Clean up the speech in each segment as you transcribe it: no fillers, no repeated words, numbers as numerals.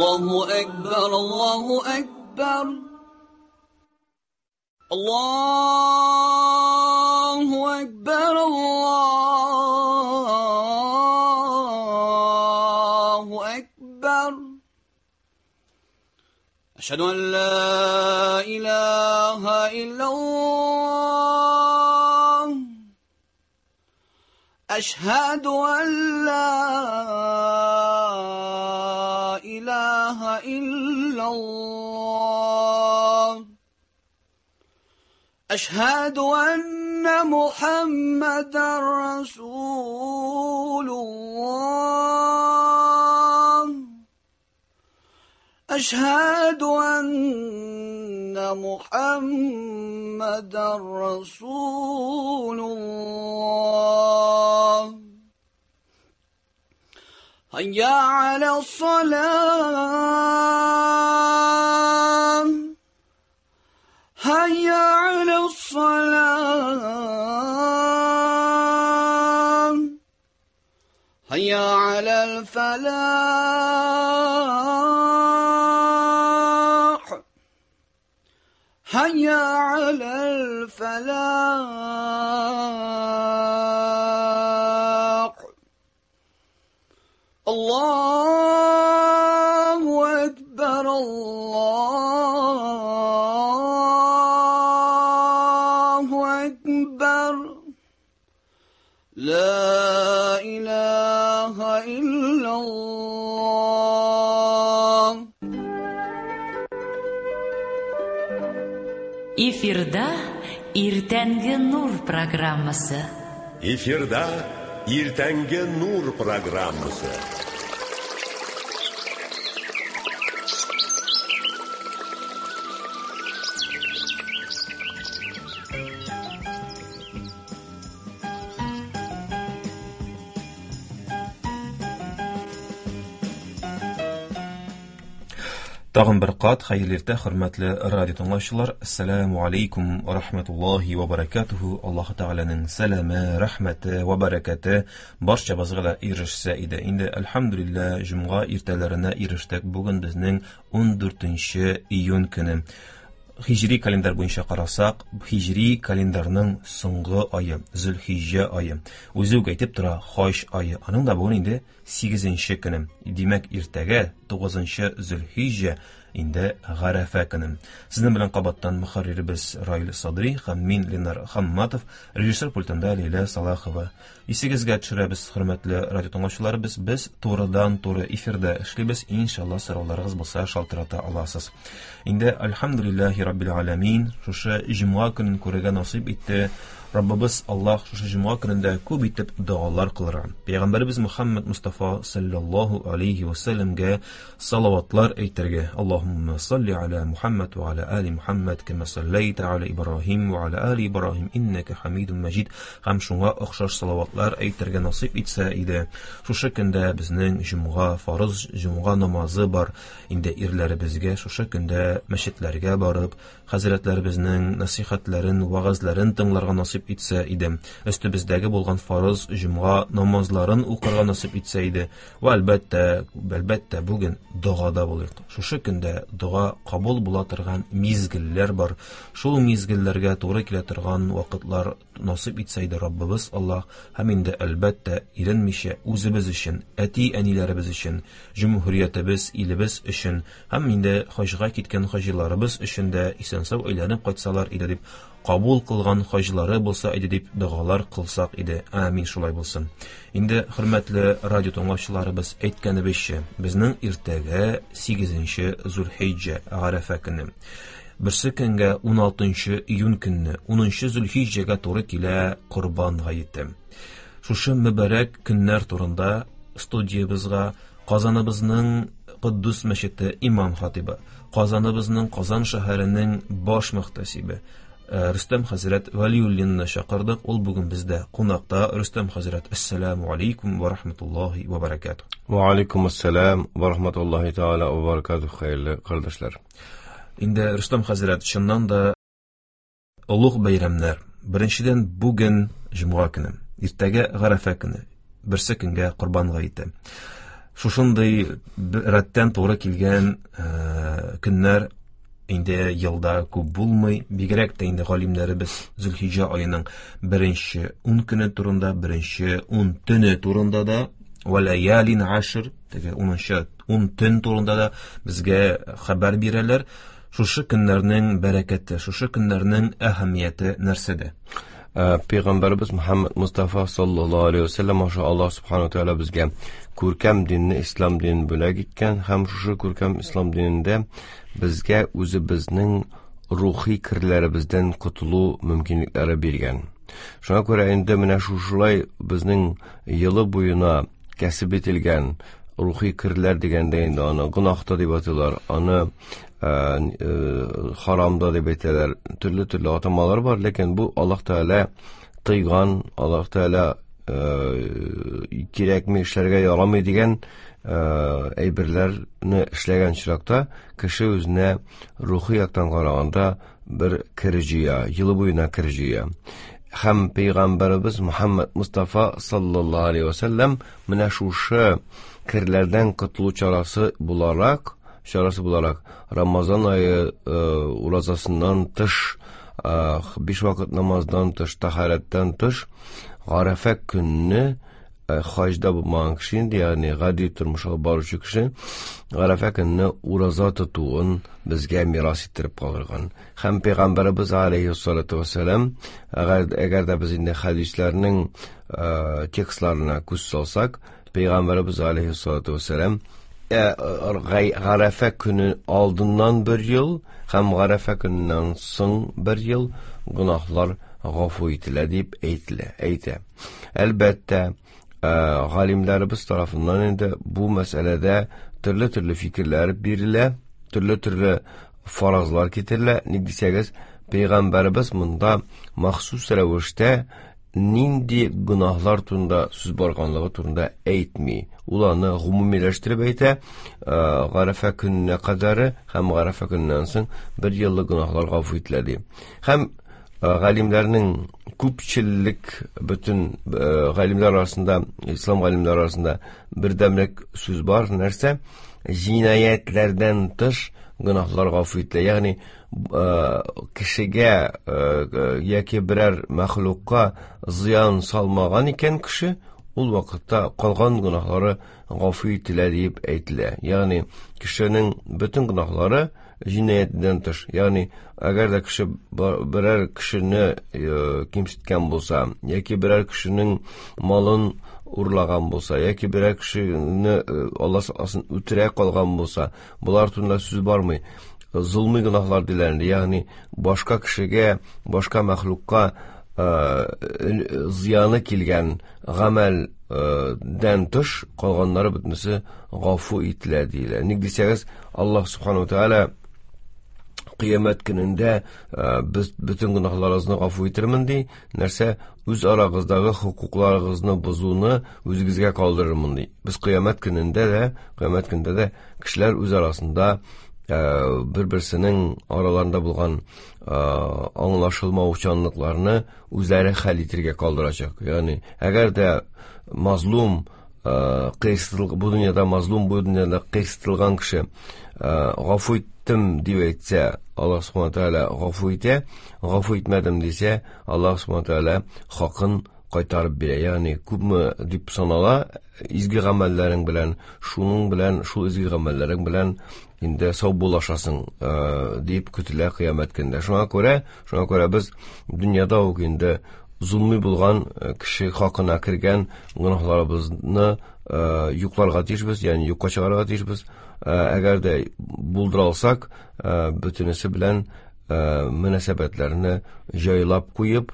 Allahu Ekber, Allahu Ekber. Allahu Ekber, Allahu Ekber. Eşhedü en la ilahe illallah. Eşhedü en la ilahe illallah. Eşhedü enne Muhammeden Resulullah. Eşhedü enne Muhammeden Resulullah. Hayya alas-salah. Hayya alas-salah. Hayya alal-falah. Hayya alal-falah. Allahu Ekber, Allahu Ekber. La ilahe illallah. Эфирда Иртәнге Нур программасы. Эфирда Иртәнге Нур программасы. Тагын бер кат хәерле иртә, хөрмәтле радио тыңлаучылар. Ассаламу алейкум ва рахматуллахи ва баракатуху. Аллаһ Тәгаләнең сәламе, рәхмәте ва баракаты барчабызга да ирешсә иде. Инде әлхәмдүлилләһ җомга иртәләренә ирештек. Бүген безнең 14 июнь көне. Хиҗри календарь буенча карасак, хиҗри календарның соңгы ае, Зөлхиҗҗә ае. Үзе үк әйтеп тора, хаҗ ае. Аның да бүген инде 8 көне. Димәк, иртәгә 9 Зөлхиҗҗә инде Гарәфә көне. Сезнең белән кабаттан мөхәрриребез Раил Садри һәм мин Ленар Хамматов, режиссер пультында Ләйлә Салахова. Исегезгә төшерәбез, хөрмәтле радио тыңлаучыларыбыз, без турыдан-туры эфирда эшлибез. Иншалла сорауларыгыз булса шалтырата аласыз. Инде альхамдулиллахи раббил аламин, шушы җомга көнен күрергә насыйп итте. Раббыбыз Аллаһ шушы җомга көнендә күп итеп догалар кылырга. Пәйгамбәребез Мухаммад Мустафа саллаллаһу алейхи ва саллямга салаватлар әйтергә. Аллаһумма салли аля Мухаммад ва аля али Мухаммад кама саллайта аля Ибраһим ва аля али Ибраһим иннака хамидун маҗид. Һәм шуңа охшаш салаватлар әйтергә насыйп итсә иде. Шушы көндә безнең җомга фарыз җомга намазы бар. Инде ирләребезгә шушы көндә мәчетләргә барып, хәзрәтләребезнең насихатларын, вагазларын тыңларга насыйп итсә иде. Өстебездәге булган фарыз җомга намазларын укырга насыйп итсә иде. Ва әлбәттә, әлбәттә бүген догада булыйк. Шушы көндә дога кабул була торган мизгелләр бар. Шул мизгелләргә туры килә торган вакытлар насыйп итсә иде Раббыбыз Аллаһ. Һәм инде әлбәттә иренмичә үзебез өчен, әти-әниләребез өчен, җөмһүриятебез, илебез өчен һәм инде хаҗга киткән хаҗиларыбыз өчен дә исән-сау әйләнеп кайтсалар иде дип, кабул кылган хаҗлары булса иде дип догалар кылсак иде. Амин, шулай булсын. Инде хөрмәтле радио тыңлаучыларыбыз, әйткәнебезчә, безнең иртәгә 8 Зулхиҗҗә Гарәфә көне. Берсе көнгә 16 июнь көнне 10 Зулхиҗҗәгә туры килә Корбан гаете. Шушы мөбарәк көннәр турында студиябызга Казаныбызның Куддус мәчете имам хатибы, Казаныбызның Казан шәһәренең баш мөхтәсибе Рөстәм хәзрәт Вәлиуллинны чакырдык. Ул бүген бездә кунакта. Рөстәм хәзрәт, ассаламу алейкум ва рахматуллахи ва баракатух. Ва алейкум ассалам ва рахматуллахи тааля ва баракатух, хәерле кардәшләр. Инде Рөстәм хәзрәт, чыннан да олуг бәйрәмнәр. Беренчедән, бүген җомга көне, иртәгә Гарәфә көне, берсе көнгә Корбан гаете. Шушындый рәттән туры килгән көннәр инде елда күп булмый. Бигрәк тә инде галимнәребез Зөлхиҗә аеның беренче 10 көне турында, беренче 10 төне турында да, валаялин ашр, теге 10нчы 10 төн турында да безгә хәбәр бирәләр. Шушы көннәрнең бәрәкәте, шушы көннәрнең әһәмияте нәрсәдә? Пәйгамбәрбез Мухаммад Мустафа саллаллаһу алейхи ва саллям аша Аллаһ субхану тааля безгә күркәм динне, ислам динен бүләк иткән һәм шушы күркәм ислам динендә безгә үзебезнең рухи керләребездән котылу мөмкинлекләре биргән. Шуңа күрә инде менә шушылай безнең елы буена кәсеп ителгән рухи керләр дигәндә инде аны гөнаһ та дип атыйлар, аны харам да дип әйтәләр. Төрле-төрле атамалар бар, ләкин бу Аллаһ Тәгалә тыйган, Аллаһ Тәгалә кирәкми, эшләргә ярамый дигән әйберләрне эшләгән очракта кеше үзенә рухи яктан караганда бер кер җыя, елы буена кер җыя. Һәм пәйгамбәребез Мухаммад Мустафа саллаллаһу алейхи ва саллям менә шушы керләрдән котылу чарасы буларак, Рамазан ае уразасыннан тыш, биш вакыт намаздан тыш, тахарәттән тыш, Гарәфә көнне хаҗда булмаган кеше инде, ягъни гади тормыш алып баручы кеше, Гарәфә көнне ураза тотуын безгә мирас иттереп калдырган. Һәм пәйгамбәребез алейһиссалату вассалам, әгәр дә без инде хәдисләрнең текстларына күз салсак, пәйгамбәребез алейһиссалату вассалам Гарәфә көне алдыннан бер ел һәм Гарәфә көненнән соң бер ел гөнаһлар гафу ителә дип әйтелә, әйтә. Әлбәттә, галимнәребез тарафыннан инде бу мәсьәләдә төрле-төрле фикерләр бирелә, төрле-төрле фаразлар китерелә. Ник дисәгез, пәйгамбәребез монда махсус рәвештә нинди гөнаһлар турында сүз барганлыгы турында әйтми. Ул аны гомумиләштереп әйтә, Гарәфә көненә кадәре һәм Гарәфә көненнән соң бер еллык гөнаһлар гафу ителә ди. Һәм галимнәрнең күпчелек бөтен галимнәр арасында, ислам галимнәре арасында бердәмлек сүз бар, нәрсә? Җинаятьләрдән тыш гөнаһлар гафу ителә. Ягъни кешегә яки берәр мәхлукка зыян салмаган икән кеше, ул вакытта калган гөнаһлары гафу ителә дип әйтелә. Ягъни кешенең бөтен гөнаһлары җинаятьтән тыш. Ягъни әгәр дә кеше берәр кешене кимсеткән булса, яки берәр кешенең малын урлаган булса, яки берәр кешене Алла сакласын үтерә калган булса, болар турында сүз бармый. Золмый гөнаһлар диләр инде, ягъни башка кешегә, башка мәхлукка зыяны килгән гамәл дән тыш калганнары бөтенесе гафу ителә диелә. Ник дисәгез, Аллаһ субхану тааля кыямәт көнендә без бөтен гөнаһларыгызны гафу итермен ди. Нәрсә? Үз арагыздагы хокукларыгызны бозуны үзегезгә калдырырмын ди. Без кыямәт көнендә дә кешеләр үз арасында бер-берсенең араларында булган аңлашылмаучанлыкларны үзләре хәл итергә калдырачак. Ягъни, әгәр дә мазлум, бу дөньяда мазлум, бу дөньяда кыйсытылган кеше гафу иттем дип әйтсә, Аллаһ субхана тааля гафу итә, гафу итмәдем дисә, Аллаһ субхана тааля хакын кайтарып бирә. Ягъни, күпме дип санала изге гамәлләрең белән, шуның белән, шул изге гамәлләрең белән инде саубуллашасың дип көтелә кыямәт көнендә. Шуңа күрә без дөньяда ук инде зулми булган кеше хакына кергән гөнаһларыбызны юкларга тиешбез, ягъни юкка чыгарырга тиешбез. Әгәр дә булдыра алсак, бөтенесе белән мөнәсәбәтләрне җайлап куеп,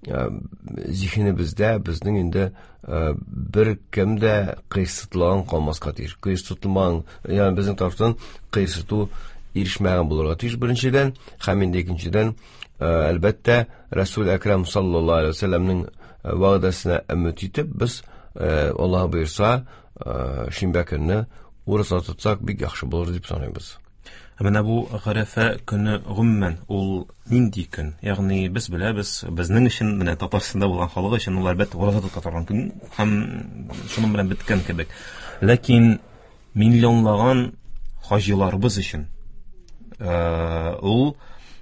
зиһенебездә безнең инде бер кем дә кыйсытылган калмаска тиеш. Кыйсытылмаган, ягъни безнең тарафтан кыйсыту ирешмәгән булырга тиеш беренчедән, һәм инде икенчедән, әлбәттә, Расул Әкрам саллаллаһу алейһи ва сәлләмнең вәгъдәсенә өмет итеп, без Аллаһ боерса, шимбә көнне ураза тотсак бик яхшы булыр дип саныйбыз. Ә менә бу Гарәфә көне гомумән ул нинди көн? Ягъни без беләбез, безнең өчен, менә Татарстанда булган халык өчен ул әлбәттә ураза тота торган көн һәм шуның белән беткән кебек. Ләкин миллионлаган хаҗиларыбыз өчен ул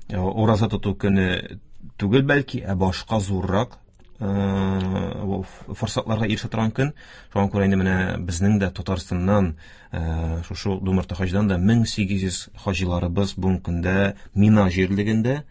ураза тоту көне түгел, бәлки, ә башка зуррак форсатларга ирешә торган көн. Шуңа күрә инде менә безнең дә Татарстаннан шушы Думарта хаҗдан да 1800 хаҗиларыбыз бүгенге көндә Мина җирлегендә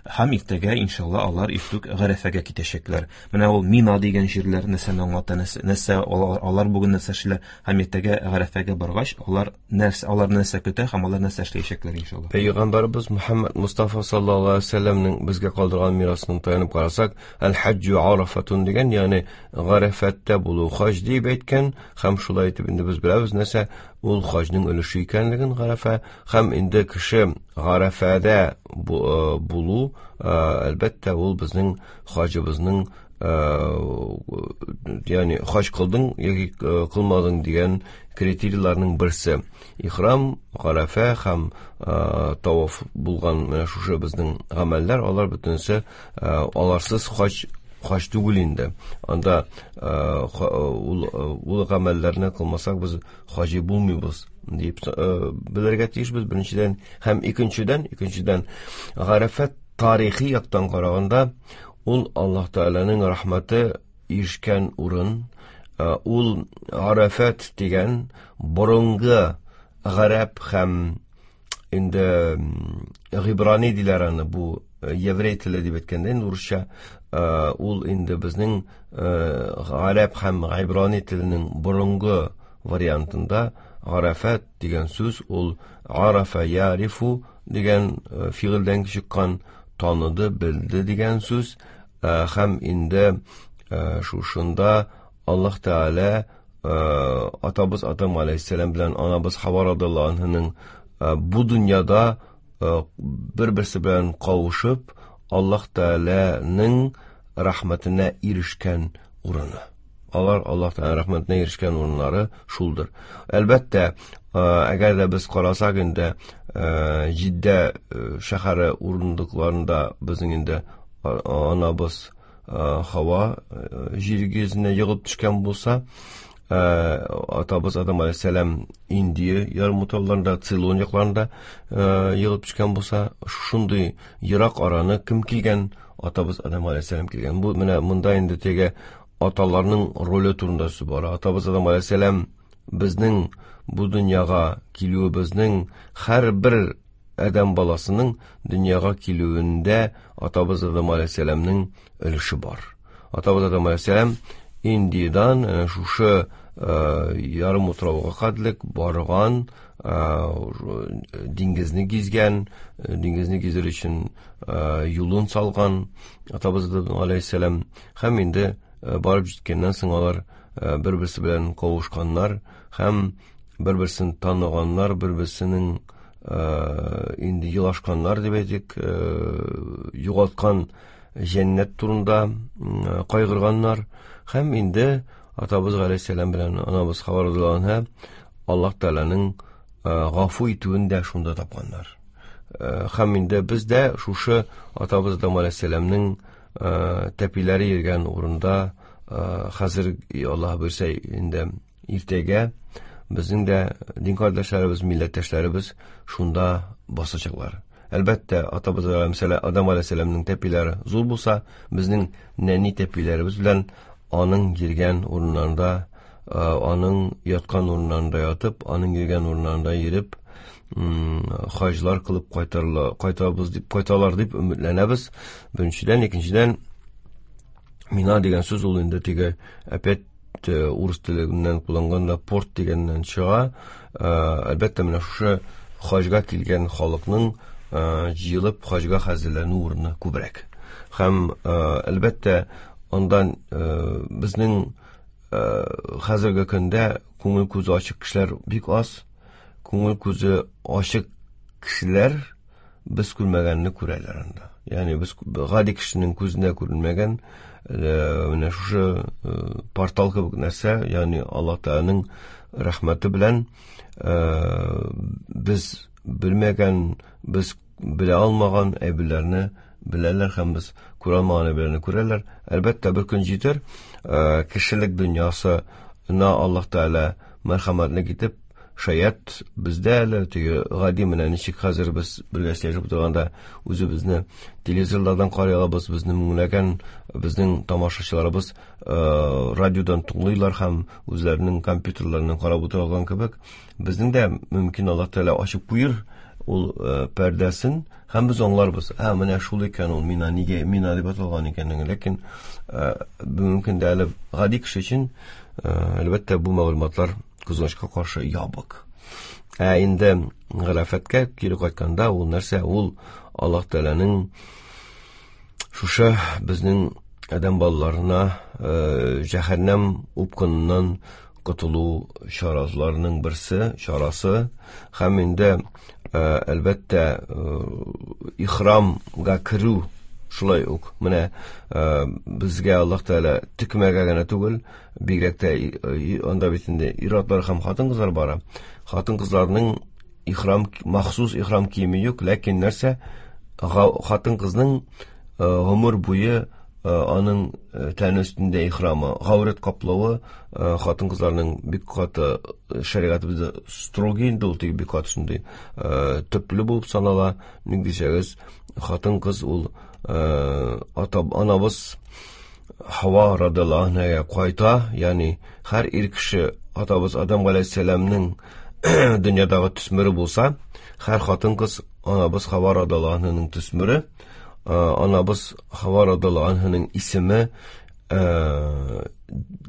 һәм иртәгә иншалла алар иртүк Гарәфәгә китәчәкләр. Менә ул Мина дигән җирләр нәрсәне аңлата, нәрсә алар бүген нәрсә эшлиләр һәм иртәгә Гарәфәгә баргач, алар нәрсә, алар нәрсә көтә һәм алар нәрсә эшләячәкләр иншалла. Пәйгамбәрбез Мухаммад Мустафа саллаллаһу алейһи ва сәлләмнең безгә калдырган мирасына таянып карасак, әл-хаҗҗу арафатун дигән, ягъни Гарәфәттә булу хаҗ дип әйткән, һәм шулай итеп инде без беләбез нәрсә ул хаҗның өлеше икәнлеген Гарәфә, һәм инде кеше Гарәфәдә булу, әлбәттә, ул безнең хаҗыбызның, ягъни хаҗ кылдың яки кылмадың дигән критерийларның берсе. Ихрам, Гарәфә һәм таваф булган менә шушы безнең гамәлләр, алар бөтенесе аларсыз хаҗ түгел инде. Анда ул гамәлләрне кылмасак без хаҗи булмыйбыз дип белергә тиешбез беренчедән, һәм икенчедән Гарәфә тарихи яктан караганда ул Аллаһ Тәгаләнең рәхмәте ирешкән урын. Ул Арафат дигән борынгы гарәп һәм инде гыйбрани диләр аны, бу еврей теле дип әйткәндә инде урысча, ул инде безнең гарәп һәм гыйбрани теленең борынгы вариантында Арафат дигән сүз ул арафа ярифу дигән фигыльдән чыккан, таныды, белде дигән сүз. Һәм инде шушында Аллаһ Тәгалә атабыз Адам алейһиссәлам белән анабыз Хава радиаллаһу анһаның бу дөньяда бер-берсе белән кавышып, Аллаһ Тәгаләнең рәхмәтенә ирешкән урыны. Алар Аллаһ Тәгаләнең рәхмәтенә ирешкән урыннары шулдыр. Әлбәттә, әгәр дә без карасак инде, Җиддә шәһәре урындыкларында безнең инде анабыз Хава җир йөзенә егылып төшкән булса, атабыз Адам алейһиссәлам Индия ярымутрауларында, Цейлон якларында егылып төшкән булса, шундый ерак араны кем килгән? Атабыз Адам алейһиссәлам килгән. Бу менә монда инде теге аталарның роле турында сүз бара. Атабыз Адам алейһиссәлам безнең бу дөньяга килүебезнең, һәрбер адәм баласының дөньяга килүендә атабыз Адам алейһиссәламнең өлеше бар. Атабыз Адам алейһиссәлам Индиядан шушы ярым утрауга кадерлек барган, диңгезне гизгән, диңгезне гизер өчен юлын салган атабыз Адам алейһиссәлам. Һәм инде барып җиткәннән соң алар бер-берсе белән кавышканнар һәм бер-берсен таныганнар, бер-берсенең инде елашканнар дип әйтик, югалткан җәннәт турында кайгырганнар. Һәм инде атабыз алейһиссәлам белән анабыз Хава радиаллаһу анһа Аллаһ Тәгаләнең гафу итүен дә шунда тапканнар. Һәм инде без дә шушы атабыз Адам алейһиссәламнең тәпиләре йөргән урында хәзер Аллаһ бирсә инде иртәгә безнең дә дин кардәшләребез, милләттәшләребез шунда басачаклар. Әлбәттә, атабыз Адам алейһиссәламнең тәпиләре зур булса, безнең нәни тәпиләребез белән аның йөргән урыннарында, аның яткан урыннарында ятып, аның йөргән урыннарында йөреп, хаҗлар кылып кайтабыз дип, кайталар дип өметләнәбез. Беренчедән, икенчедән, Мина дигән сүз ул инде теге опять урыс теленнән кулланганда порт дигәннән чыга. Әлбәттә, менә шушы хаҗга килгән халыкның җыелып хаҗга хәзерләнү урыны күбрәк. Һәм әлбәттә, андан безнең хәзерге көндә күңел күзе ачык кешеләр бик аз. Күңел күзе ачык кешеләр без күрмәгәнне күрәләр анда. Ягъни без гади кешенең күзенә күренмәгән менә шушы портал кебек нәрсә, ягъни Аллаһ Тәгаләнең рәхмәте белән без белмәгән, без белә алмаган әйберләрне беләләр һәм без күрә алмаган әйберләрне күрәләр. Әлбәттә, бер көн җитер, кешелек дөньясына Аллаһ Тәгалә мәрхәмәтлек итеп, Шаять бездә әле теге гади менә ничек хәзер без бергә сөйләшеп утырганда үзебезне телевизорлардан карый алабыз, безне меңләгән безнең тамашачыларыбыз радиодан тыңлыйлар һәм үзләренең компьютерларыннан карап утыра алган кебек, безнең дә мөмкин Аллаһ Тәгалә ачып куер ул пәрдәсен һәм без аңларбыз. Ә менә шул икән ул мина нигә мина дип аталган икәнлеген. Ләкин бүгенге көндә әле гади кеше өчен әлбәттә бу мәгълүматлар кызганычка каршы ябык. Ә инде Гарәфәткә кире кайтканда ул нәрсә? Ул Аллаһ Тәгаләнең шушы безнең адәм балаларына җәһәннәм упкыныннан котылу чараларының берсе, чарасы һәм инде әлбәттә ихрамга керү шулай ук менә безгә Аллаһ Тәгалә текмәгә генә түгел, бигрәк тә анда бит инде ир-атлар һәм хатын-кызлар бара. Хатын-кызларның ихрам, махсус ихрам киеме юк, ләкин нәрсә хатын-кызның гомер буе аның тәне өстендә ихрамы, гаурәт каплавы хатын-кызларның бик каты шәригатебездә строгий инде ул, теге бик каты шундый төпле булып санала. Ник дисәгез, хатын-кыз ул ата анабыз Хава радиаллаһу анһага кайта, ягъни һәр ир кеше атабыз Адам галәйһиссәламнең дөньядагы төсмере булса, һәр хатын-кыз анабыз Хава радиаллаһу анһаның төсмере, анабыз Хава радиаллаһу анһаның исеме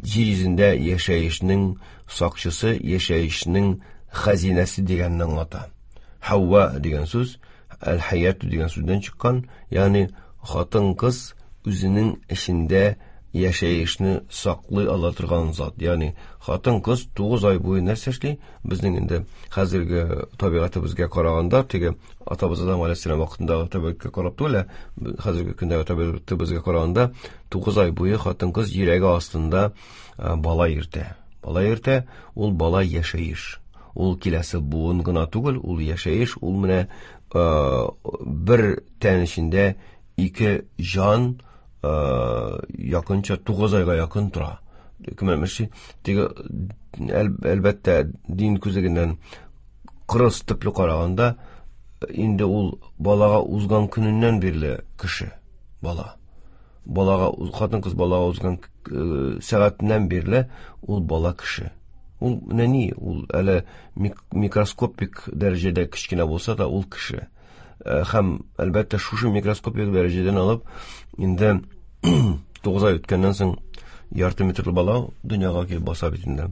җир йөзендә яшәешнең сакчысы, яшәешнең хәзинәсе дигәнне аңлата. Хава дигән сүз әл-хаяту дигән сүздән чыккан, ягъни хатын-кыз үзенең эчендә яшәешне саклый ала торган зат. Ягъни хатын-кыз 9 ай буе нәрсә эшли? Безнең инде хәзерге табигатебезгә караганда, теге атабыз Адам галәйһиссәлам вакытындагы табигатькә карап түгел, хәзерге көндәге табигатебезгә караганда 9 ай буе хатын-кыз йөрәге астында бала йөртә. Бала йөртә, ул бала яшәеш. Ул киләсе буын гына түгел, ул яшәеш, ул менә бер тән эчендә ике җан якынча 9 айга якын тора. Кем әйтмешли, теге әлбәттә дин күзлегеннән кырыс төпле караганда, инде ул балага узган көненнән бирле кеше, бала. Балага, хатын-кыз балага узган сәгатеннән бирле ул бала кеше. Ул нәни, ул әле микроскопик дәрәҗәдә кечкенә булса да, ул кеше. Һәм әлбәттә шушы микроскопик дәрәҗәдән алып, инде 9 ай үткәннән соң ярты метрлы бала дөньяга килеп баса бит инде.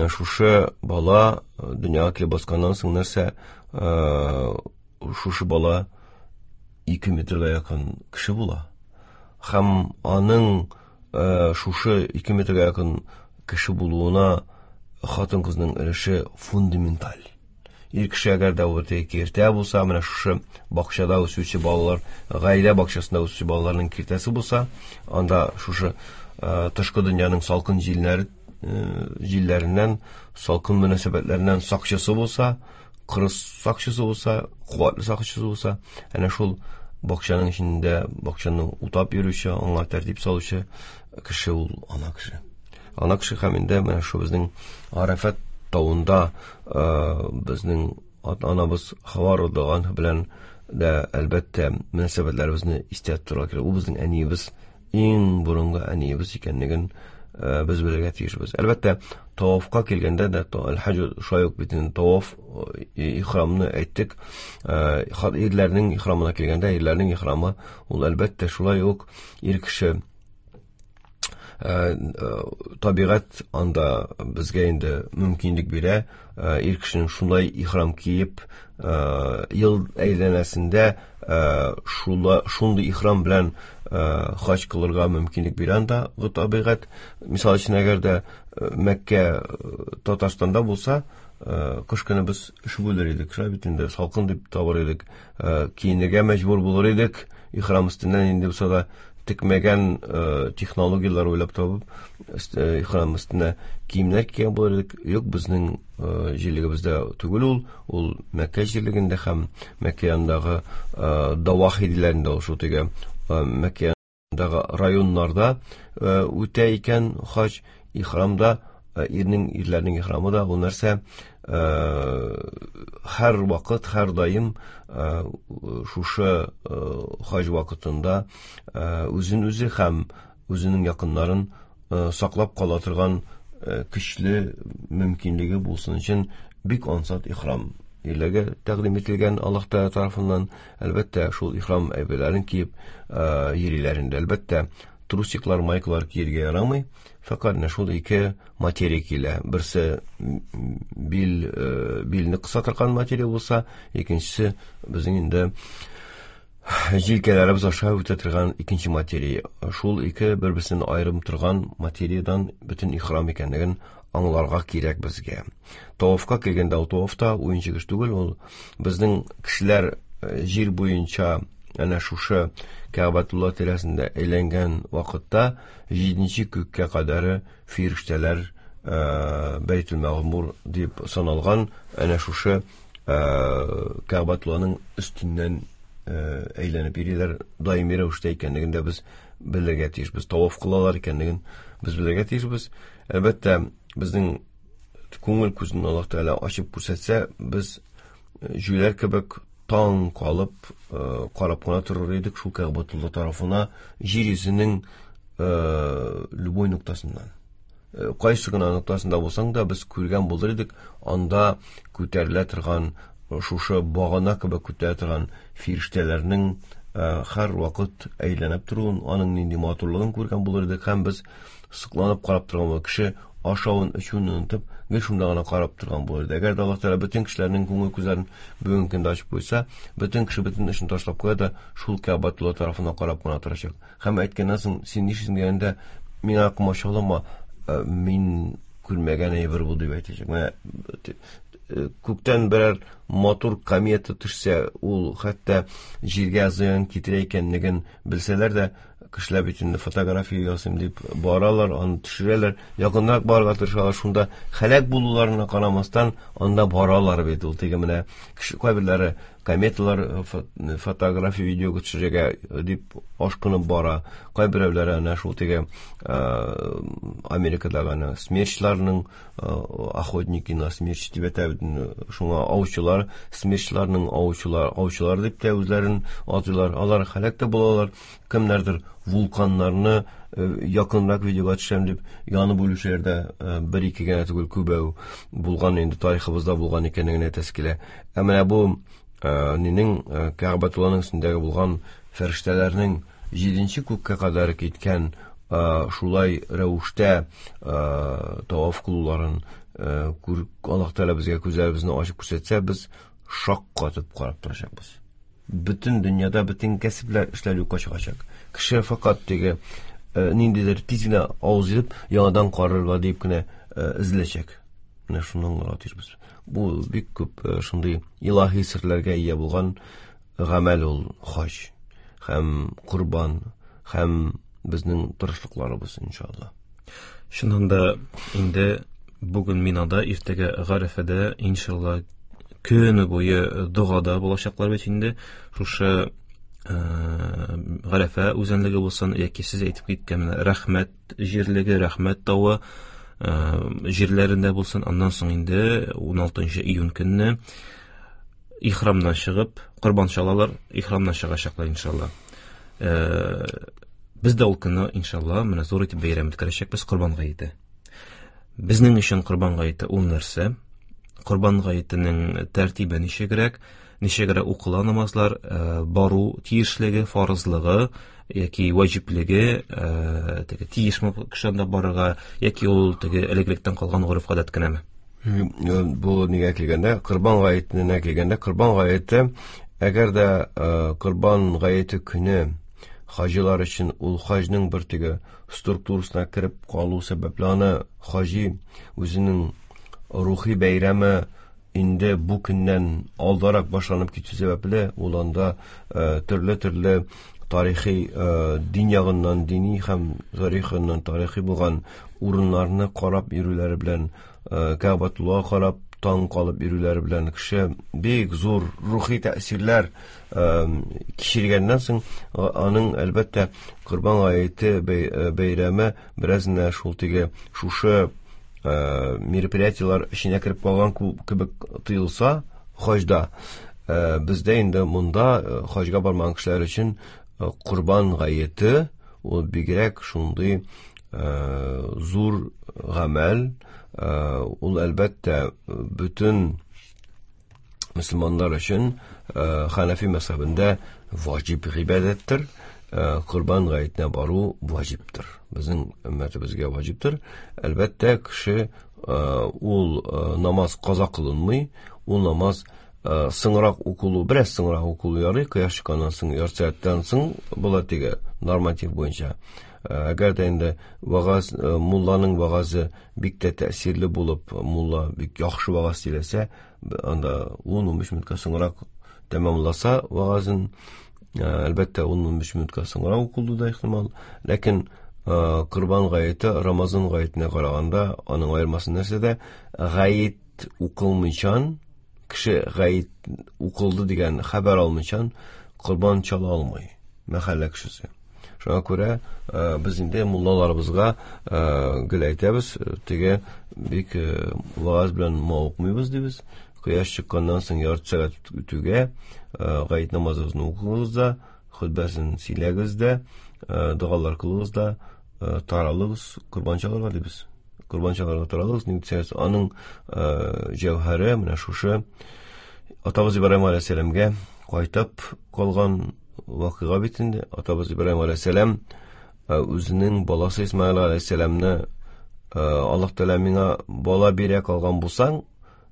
Шушы бала дөньяга килеп басканнан соң нәрсә, шушы бала 2 метрга якын кеше була. Һәм аның шушы 2 метрга якын кеше булуына хатын-кызның өлеше фундаменталь. Ир кеше әгәр дә ул киртә булса, менә шушы бакчада үсүче балалар, гаилә бакчасында үсүче балаларның киртәсе булса, анда шушы тышкы дөньяның салкын җилләреннән, салкын мөнәсәбәтләреннән сакчысы булса, кырыс сакчысы булса, куәтле сакчысы булса, әнә шул бакчаның эчендә бакчаны утап йөрүче, аңа тәртип салучы кеше ул ана кеше. Ана кеше һәм инде менә шу безнең Арафат тавында безнең ата-анабыз Хава радиаллаһу анһа белән дә әлбәттә мөнәсәбәтләребезне истә тотарга кирәк. Ул безнең әниебез, иң борынгы әниебез икәнлеген без белергә тиешбез. Әлбәттә, тавафка килгәндә дә, әл-хаҗ шулай ук бит инде таваф, ихрамны әйттек. Ирләрнең ихрамына килгәндә, ирләрнең ихрамы ул әлбәттә шулай ук ир кеше табигать анда безгә инде мөмкинлек бирә, ир кешенең шулай ихрам киеп, ел әйләнәсендә шундый ихрам белән хаҗ кылырга мөмкинлек бирә анда табигать. Мисал өчен, әгәр дә Мәккә Татарстанда булса, кыш көне без өшеп үлер идек, шулай бит инде, салкын дип табыр идек, киенергә мәҗбүр булыр идек, ихрам өстеннән инде булса да текмәгән технологияләр уйлап табып, ихрам өстенә киемнәр кигән булыр идек. Юк, безнең җирлегебездә түгел ул, ул Мәккә җирлегендә һәм Мәккә янындагы Давахи диләрендә ул шул теге Мәккә янындагы районнарда үтә икән хаҗ, ихрамда Ирнең, ирләрнең ихрамы да ул нәрсә, һәр вакыт, һәр даим шушы хаҗ вакытында үзен үзе һәм үзенең якыннарын саклап кала торган көчле мөмкинлеге булсын өчен бик ансат ихрам ирләргә тәкъдим ителгән Аллаһ Тәгалә тарафыннан. Әлбәттә, шул ихрам әйберләрен киеп йөриләр инде. Әлбәттә, трусиклар, майкалар киергә ярамый. Фәкать менә шул ике материя килә. Берсе бил билне кыса торган материя булса, икенчесе безнең инде җилкәләребез аша үтә торган икенче материя. Шул ике бер-берсеннән аерым торган материядән бөтен ихрам икәнлеген аңларга кирәк безгә. Тавафка килгәндә, ул таваф та уенчык эш түгел, ул безнең кешеләр җир буенча әнә шушы Кәгъбәтулла тирәсендә әйләнгән вакытта җиденче күккә кадәре фирештәләр Бәйтул Мәгъмур дип саналган әнә шушы Кәгъбәтулланың өстеннән әйләнеп йөриләр, даими рәвештә икәнлеген дә без белергә тиешбез. Таваф кылалар икәнлеген без белергә тиешбез. Әлбәттә, безнең күңел күзен Аллаһ Тәгалә ачып күрсәтсә, без җүләр кебек таң калып карап кына торыр идек шул Кәгъбәтулла тарафына, җир йөзенең любой ноктасыннан. Кайсы гына ноктасында булсаң да, без күргән булыр идек, анда күтәрелә торган, шушы багана кебек күтәрелә торган фирештәләрнең һәр вакыт әйләнеп торуын, аның нинди матурлыгын күргән булыр идек һәм без сокланып карап торган булыр. Кеше ашавын, эчүен онытып, гел шунда гына карап торган булыр иде. Әгәр дә Аллаһ Тәгалә бөтен кешеләрнең күңел күзләрен бүгенге көндә ачып куйса, бөтен кеше бөтен эшен ташлап куя да шул Кәгъбәтулла тарафына карап кына торачак. Һәм әйткәннән соң, син нишлисең дигәндә, миңа комачаулама, мин күрмәгән әйбер бу дип әйтәчәк. Менә күктән берәр матур комета төшсә, ул хәтта җиргә зыян китерә икәнлеген белсәләр дә, кешеләр бит инде фотография ясыйм дип баралар, аны төшерәләр, якынрак барырга тырышалар, шунда һәлак булуларына карамастан, анда баралар бит ул. Теге менә кеше кайберләре кометалар фотография видеога төшерергә дип ашкынып бара. Кайберәүләре әнә шул теге Америкадагы әнә смерчларның охотники на смерч дип әйтә бит, шуңа аучылар, смерчларның аучылар, аучылар дип тә үзләрен атыйлар. Алар һәлак тә булалар. Кемнәрдер вулканнарны якынрак видеога төшәм дип янып үлүчеләр дә бер-ике генә түгел, күбәү булган инде, тарихыбызда булган икәнлеген әйтәсе килә. Ә менә бу нинең Кәгъбәтулланың өстендәге булган фәрештәләрнең җиденче күккә кадәр киткән шулай рәвештә таваф кылуларын Аллаһ Тәгалә безгә күзләребезне ачып күрсәтсә, без шак катып карап торачакбыз. Бөтен дөньяда бөтен кәсепләр, эшләр юкка чыгачак. Кеше фәкать теге ниндидер тиз генә авыз итеп яңадан карарга дип кенә эзләчәк. Менә шуны аңларга тиешбез. Бу бик күп шундый илаһи серләргә ия булган гамәл ул хаҗ һәм корбан һәм безнең тырышлыкларыбыз, иншалла. Чыннан да инде бүген Минада, иртәгә Гарәфәдә, иншалла, көне буе догада булачаклар бит инде. Шушы Гарәфә үзәнлеге булсын, яки сез әйтеп киткән менә Рәхмәт җирлеге, Рәхмәт тавы җирләрендә булсын. Аннан соң инде 16 июнь көнне ихрамнан чыгып, корбан чалалар, ихрамнан чыгачаклар, иншалла. Без дә ул көнне, иншалла, менә зур итеп бәйрәм үткәрәчәкбез Корбан гаете. Безнең өчен Корбан гаете ул нәрсә? Корбан гаетенең тәртибе ничегрәк? Ничегрәк укыла намазлар, бару тиешлеге, фарызлыгы яки ваҗиплеге, теге тиешме кеше анда барырга, яки ул теге элек-электән калган гореф-гадәт кенәме? Бу нигә килгәндә, Корбан гаетенә килгәндә, Корбан гаете, әгәр дә Корбан гаете көне хаҗилар өчен ул хаҗның бер теге структурасына кереп калу сәбәпле, аны хаҗи үзенең рухи бәйрәме инде бу көннән алдарак башланып китү сәбәпле, ул анда төрле-төрле тарихи, дин ягыннан, дини һәм тарих ягыннан тарихи булган урыннарны карап йөрүләре белән, Кәгъбәтуллага карап таң калып йөрүләре белән кеше бик зур рухи тәэсирләр кичергәннән соң, аның әлбәттә Корбан гаете бәйрәме бераз менә шул теге шушы мероприятиеләр эченә кереп калган кебек тоелса, хаҗда бездә инде монда хаҗга бармаган кешеләр өчен Корбан гаете ул бигрәк шундый зур гамәл, ул әлбәттә бөтен мөселманнар өчен Ханафи мәзһәбендә ваҗиб гыйбадәттер. Корбан гаетенә бару ваҗибтер. Безнең өммәтебезгә ваҗибтер. Әлбәттә, кеше ул намаз каза кылынмый, ул намаз соңрак укылу, бераз соңрак укылу ярый, кояш чыкканнан соң, ярты сәгатьтән соң була теге норматив буенча. Әгәр дә инде вагаз, мулланың вагазе бик тә тәэсирле булып, мулла бик яхшы вагаз сөйләсә, анда 10-15 минутка соңрак тәмамласа вагазын, әлбәттә, 10-15 минутка соңрак укылу да ихтимал. Ләкин Корбан гаете Рамазан гаетенә караганда аның аермасы нәрсәдә? Гает укылмыйчан, кеше гает укылды дигән хәбәр алмыйчан корбан чала алмый мәхәллә кешесе. Шуңа күрә без инде муллаларыбызга гел әйтәбез, теге бик вагаз белән мавыкмыйбыз дибез. Кояш чыкканнан соң ярты сәгать үтүгә гает намазыгызны укыгыз да, хөтбәсен сөйләгез дә, догалар кылыгыз да, таралыгыз корбан чалырга дибез. Корбан чалырга таралыгыз, ник дисәгез, аның җәүһәре менә шушы атабыз Ибраһим алейһиссәламгә кайтып калган вакыйга бит инде. Атабыз Ибраһим алейһиссәлам үзенең баласы Исмаил алейһиссәламны Аллаһ Тәгалә миңа бала бирә калган булсаң,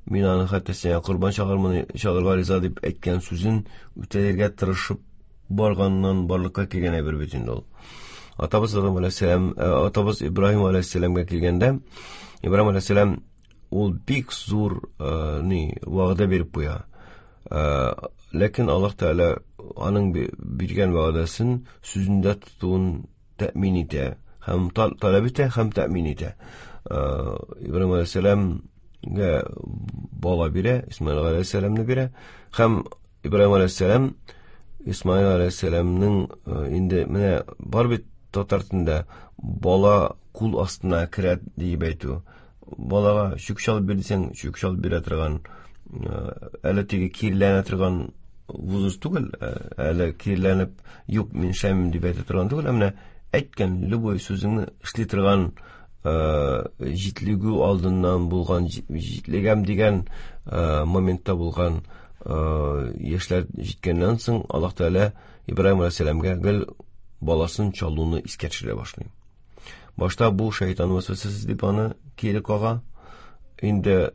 мин аны хәтта сиңа корбан чалырмын, чалырга риза дип әйткән сүзен үтәлергә тырышып барганнан барлыкка килгән әйбер бит инде ул. Атабыз Адам алейһиссәлам, атабыз Ибраһим алейһиссәламгә килгәндә, Ибраһим алейһиссәлам ул бик зур ни вәгъдә биреп куя. Ләкин Аллаһ Тәгалә аның биргән вәгъдәсен сүзендә тотуын тәэмин итә һәм таләп итә һәм тәэмин итә. Ибраһим алейһиссәламгә бала бирә, Исмаил алейһиссәламны бирә һәм Ибраһим алейһиссәлам Исмаил алейһиссәламның инде менә бар бит татар телендә бала кул астына керә диеп әйтү. Балага чүк чалып бир дисәң, чүк чалып бирә торган, әле теге киреләнә торган возраст түгел, әле киреләнеп, юк, мин эшләмим дип әйтә торган түгел, ә менә әйткән любой сүзеңне эшли торган җитлегү алдыннан булган, җитлегәм дигән моментта булган яшьләр җиткәннән соң Аллаһ Тәгалә Ибраһим алейһиссәламгә гел баласын чалуны искә төшерә башлый. Башта бу шайтан вәсвәсәсе дип аны кире кага. Инде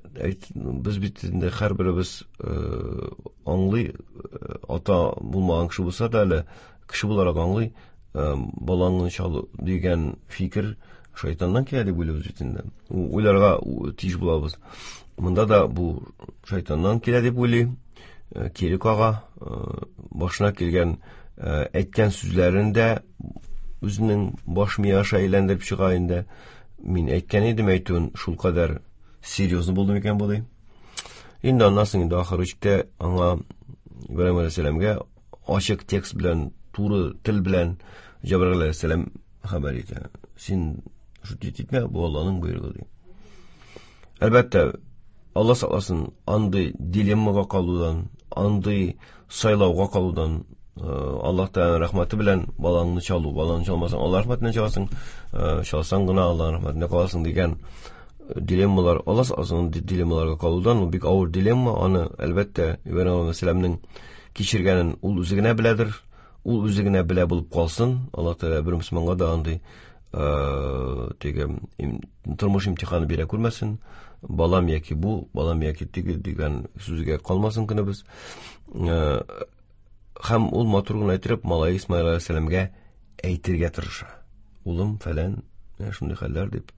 без бит инде һәрберебез аңлый, ата булмаган кеше булса да әле кеше буларак аңлый, балаңны чалу дигән фикер шайтаннан килә дип уйлыйбыз бит инде. Уйларга тиеш булабыз. Монда да бу шайтаннан килә дип уйлый, кире кага, башына килгән әйткән сүзләрен дә үзенең баш мие аша әйләндереп чыга инде. Мин әйткән идем әйтүен, шул кадәр серьезно булды микән бу ди. Инде аннан соң инде ахыр чиктә аңа Ибраһим алейһиссәламгә ачык текст белән, туры тел белән Җәбраил алейһиссәлам хәбәр итә. Син шутить итмә, бу Аллаһның боерыгы ди. Әлбәттә, Алла сакласын, андый дилеммага калудан, андый сайлауга калудан, Аллаһ Тәгаләнең рәхмәте белән балаңны чалу, балаңны чалмасаң, Аллаһ рәхмәтеннән чаласың, чалсаң гына Аллаһ рәхмәтенә каласың дигән дилеммалар, Алла сакласын, андый дилеммаларга калудан, ул бик авыр дилемма, аны, әлбәттә, Ибраһим алейһиссәламнең кичергәнен ул үзе генә беләдер, ул үзе генә белә булып калсын, Аллаһ Тәгалә бер мөселманга да андый теге тормыш имтиханы бирә күрмәсен, балам яки бу, балам яки теге дигән сүзгә калмасын көнебез. Һәм ул матур гына әйтеп, малай Исмаил алейһиссәламгә әйтергә тырыша. Улым фәлән, менә шундый хәлләр дип.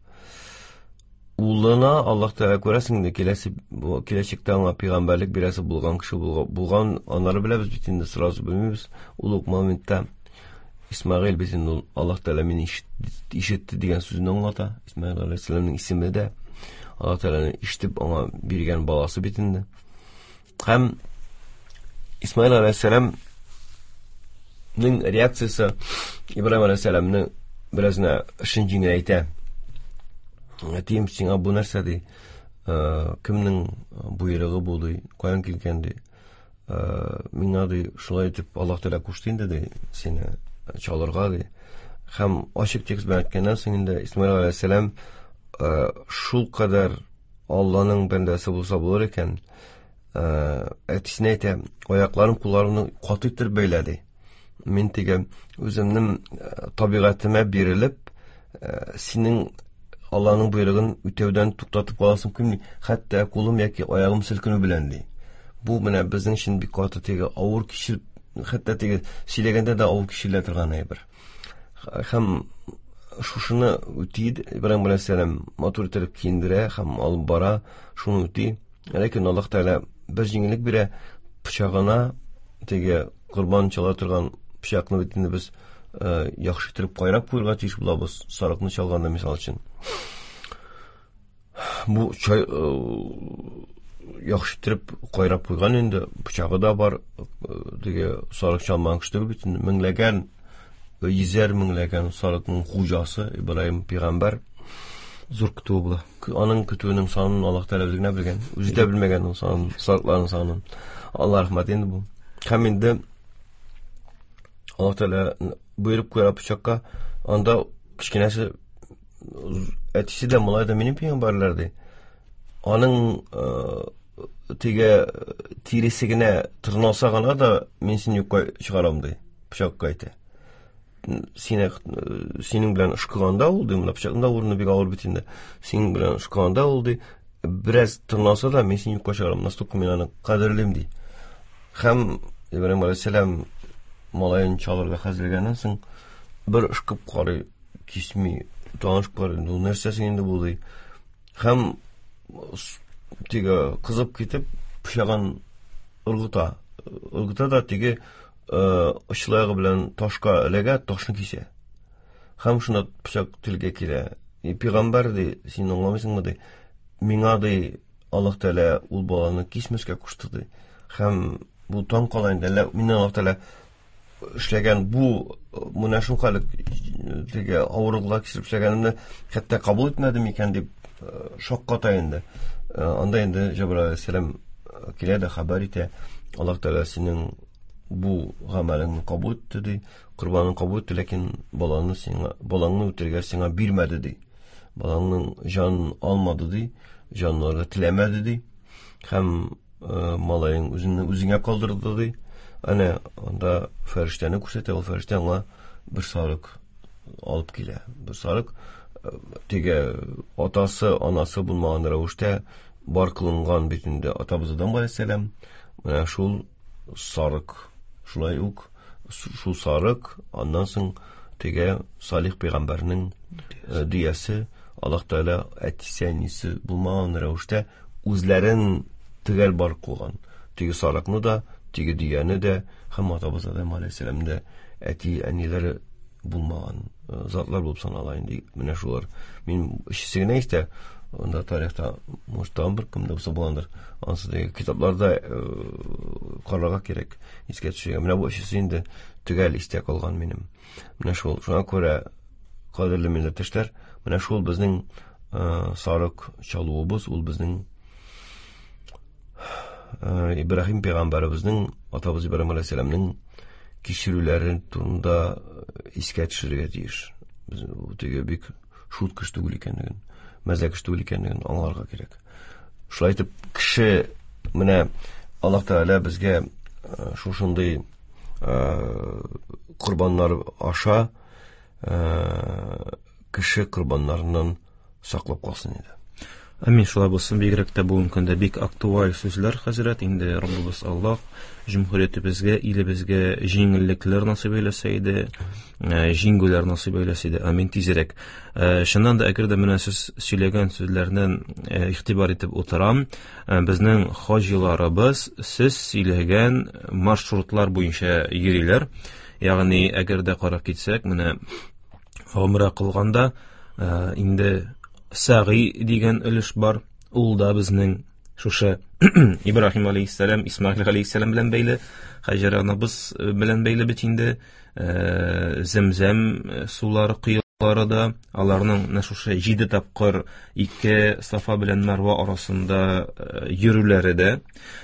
Улына Аллаһ Тәгалә күрәсең инде, киләчәктә аңа пәйгамбәрлек бирәсе булган кеше булган, аннары беләбез бит инде, сразу белмибез. Ул ук моментта Исмаил бит инде ул Аллаһ Тәгалә мине ишетте дигән сүзне аңлата. Исмаил алейһиссәламнең исеме дә Аллаһ Тәгаләне ишетеп аңа биргән баласы бит инде. Һәм Исмаил алейһиссәламнең реакциясе Ибраһим алейһиссәламне беразына эшен җиңеләйтә. Әтием, сиңа бу нәрсә ди? Кемнең боерыгы бу ди? Каян килгән ди? Миңа ди, шулай итеп Аллаһ Тәгалә кушты инде ди, сине чалырга ди. Һәм ачык текст белән әйткәннән соң инде Исмаил алейһиссәлам шул кадәр Алланың бәндәсе булса булыр икән, әтисенә әйтә, аякларым, кулларымны каты итеп бәйлә ди. Мин теге үземнең табигатемә бирелеп, синең Алланың боерыгын үтәүдән туктатып каласым килми, хәтта кулым яки аягым селкенү белән ди. Бу менә безнең өчен бик каты теге авыр кичереп, хәтта теге сөйләгәндә дә авыр кичерелә торган әйбер. Һәм шушыны үти Ибраһим алейһиссәлам матур итеп киендерә һәм алып бара, шуны үти. Ләкин Аллаһ Тәгалә бер җиңеллек бирә, пычагына теге корбан чала торган пычакны бит инде без яхшы итеп кайрап куярга тиеш булабыз, сарыкны чалганда мисал өчен. Бу чай яхшы итеп кайрап куйган инде, пычагы да бар, теге сарык чалмаган кеше түгел бит инде, меңләгән, йөзәр меңләгән сарыкның хуҗасы Ибраһим пәйгамбәр. Зур көтүе була. Аның көтүенең санын Аллаһ Тәгалә үзе генә белгән. Үзе дә белмәгән ул санын, сарыкларның санын. Аллаһ рәхмәт инде бу. Һәм инде Аллаһ Тәгалә боерып куя пычакка, анда кечкенәсе әтисе дә малай да минем пәйгамбәрләр ди. Аның теге тиресе генә тырналса гына да мин сине юкка чыгарам ди. Пычакка әйтә. Сине синең белән ышкыганда ул ди, менә пычакның да урыны бик авыр бит инде. Синең белән ышкыганда ул ди, бераз тырналса да мин сине юкка чыгарам, настолько мин аны кадерлим ди. Һәм Ибраһим алейһиссәлам малаен чалырга хәзерләгәннән соң бер ышкып карый, кисми, тагын ышкып карый, ну нәрсәсе инде бу ди. Һәм теге кызып китеп пычагын ыргыта. Ыргыта да теге очлаягы белән ташка эләгә, ташны кисә. Һәм шунда пычак телгә килә. И пәйгамбәр ди, син аңламыйсыңмы ди? Миңа ди Аллаһ Тәгалә ул баланы кисмәскә кушты ди. Һәм бу таң кала инде. Әллә миннән Аллаһ Тәгалә эшләгән бу менә шул хәл теге авырлыклар кичереп эшләгәнемне хәтта кабул итмәде микән дип шакката инде. Анда инде Җәбраил алейһиссәлам килә дә хәбәр итә. Аллаһ Тәгалә синең бу гамәлеңне кабул итте ди, корбанын кабул итте, ләкин баланы сиңа, балаңны үтерергә сиңа бирмәде ди. Балаңның җанын алмады ди, җанын алырга теләмәде ди. Һәм малаең үзеңне үзеңә калдырды ди. Әнә анда фәрештәне күрсәтә, ул фәрештә аңа бер сарык алып килә. Бер сарык теге атасы, анасы булмаган рәвештә бар кылынган бит инде атабыз Адам галәйһиссәлам. Менә шул сарык, шулай ук шул сарык, аннан соң теге Салих пәйгамбәрнең дөясе, Аллаһ Тәгалә әтисе, әнисе булмаган рәвештә үзләрен төгәл бар кылган. Теге сарыкны да, теге дөяне дә һәм атабыз Адам галәйһиссәламне дә әти, әниләре булмаган затлар булып санала инде. Менә шулар. Мин өчесе генә истә, анда тарихта, может, тагын бер кем дә булса булгандыр. Ансы да китапларда карарга кирәк, искә төшергә. Менә бу өчесе инде төгәл истә калган минем. Менә шул, шуңа күрә, кадерле милләттәшләр, менә шул безнең сарык чалуыбыз, ул безнең Ибраһим пәйгамбәребезнең, атабыз Ибраһим алейһиссәламнең кичерүләре турында искә төшерергә тиеш. Без бу теге бик шут кеше түгел икәнлеген, мәзәк кеше түгел икәнлеген аңларга кирәк. Шулай итеп, кеше менә Аллаһ Тәгалә безгә шушындый корбаннар аша кеше корбаннарыннан саклап калсын иде. Амин, шулай булсын. Бигрәк тә бүгенге көндә бик актуаль сүзләр, хәзрәт. Инде Раббыбыз Аллаһ җөмһүриятебезгә, илебезгә җиңеллекләр насыйп әйләсә иде, җиңүләр насыйп әйләсә иде. Амин, тизрәк. Чыннан да, әгәр дә менә сез сөйләгән сүзләрдән игътибар итеп утырам, безнең хаҗиларыбыз сез сөйләгән маршрутлар буенча йөриләр. Ягъни, әгәр дә карап китсәк, менә гомрә кылганда, инде Сәгый дигән өлеш бар, ул да безнең шушы Ибраһим алейһиссәлам, Исмаил алейһиссәлам белән бәйле, Хаҗәр анабыз белән бәйле бит инде, Зәмзәм сулары коелып. Да, аларның менә шушы 7 тапкыр ике Сафа белән Марва арасында йөрүләре дә.